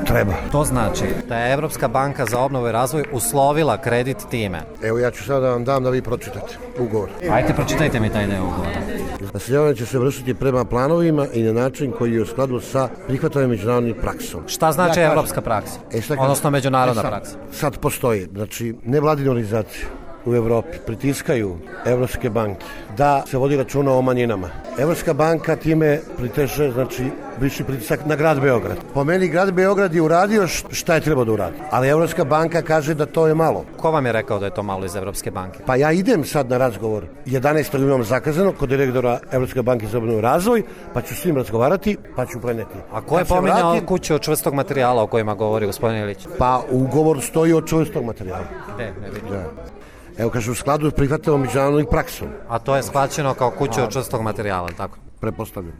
treba. To znači da je Evropska banka za obnovu i razvoj uslovila kredit time. Evo ja ću sada da vam dam da vi pročitate ugovor. Ajde, pročitajte mi taj deo ugovora. Naseljavanje će se vršiti prema planovima i na način koji je u skladu sa prihvatanjem međunarodnim praksom. Šta znači evropska praksa? Odnosno međunarodna praksa? Sad postoji, znači nevladine organizacije u Evropi pritiskaju evropske banke da se vodi računa o manjinama. Evropska banka time priteže, znači, viši pritisak na grad Beograd. Po meni grad Beograd je uradio šta je trebao da uradi, ali Evropska banka kaže da to je malo. Ko vam je rekao da je to malo iz Evropske banke? Pa ja idem sad na razgovor. 11. imam zakazano kod direktora Evropske banke za obnovu i razvoj, pa ću s njim razgovarati, pa ću preneti. A ko je pominjao kuću od čvrstog materijala o kojima govori gospodin Ilić? Pa ugovor stoji od čvrstog materijala. Ne vidim. Da. Evo kaže u skladu prihvatamo međunarodnom praksom. A to je shvaćeno kao kuća od čvrstog materijala, tako? Prepostavljam.